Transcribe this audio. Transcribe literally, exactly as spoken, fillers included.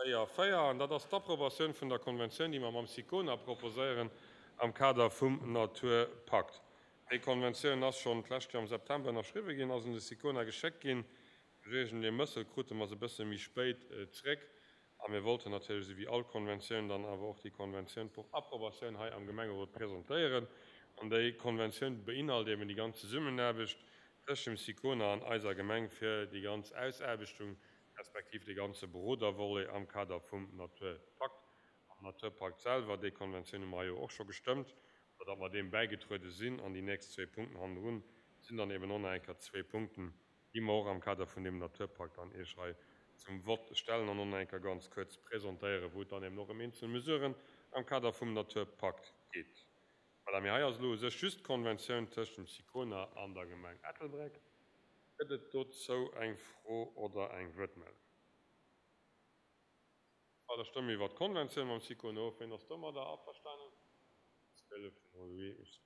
Zwéi a véier, an dat ass d'Approbatioun vun der Konventioun, déi mer mam SICONA proposéieren am Kader vum Naturpakt. Déi Konventioun ass schonn d'lescht Joer am September ënnerschriwwe ginn, ass un de SICONA geschéckt ginn. Duerch iergendee Mëssel krute mer se e bësse méi spéit zréck. A mir wollten natierlech, esou wéi all Konventioun, dann awer och déi Konventioun pour Approbatioun hei am Gemengerot presentéieren. An déi Konventioun beinhalt eben déi ganz Zesummenaarbecht tëscht dem SICONA an eiser Gemeng fir déi ganz Ausaarbechtung respektiv dee ganze Berodervolet am Kader vum Naturpakt. Am Naturpakt selwer, déi Konventioun hu mer jo och scho gestëmmt, oder datt mer deem bäigetruede sinn. An déi nächst zwee Punkten hannendrun sinn dann eben och nach eng Kéier zwee Punkten, déi mer och am Kader vun deem Naturpakt dann Iech hei zum Vott stellen an och nach eng Kéier ganz kuerz presentéieren, wou et dann eben och ëm eenzel Mesuren am Kader vum Naturpakt geet. Voilà, mee hei ass elo u sech just d'Konventioun tëscht dem SICONA an der Gemeng Ettelbréck. Gëtt et dozou eng Fro oder eng Wuertmeldung? Da stëmme mir iwwer d'Konventioun mam SICONA of. Wien ass domadder averstanen? Zwielef mol huit.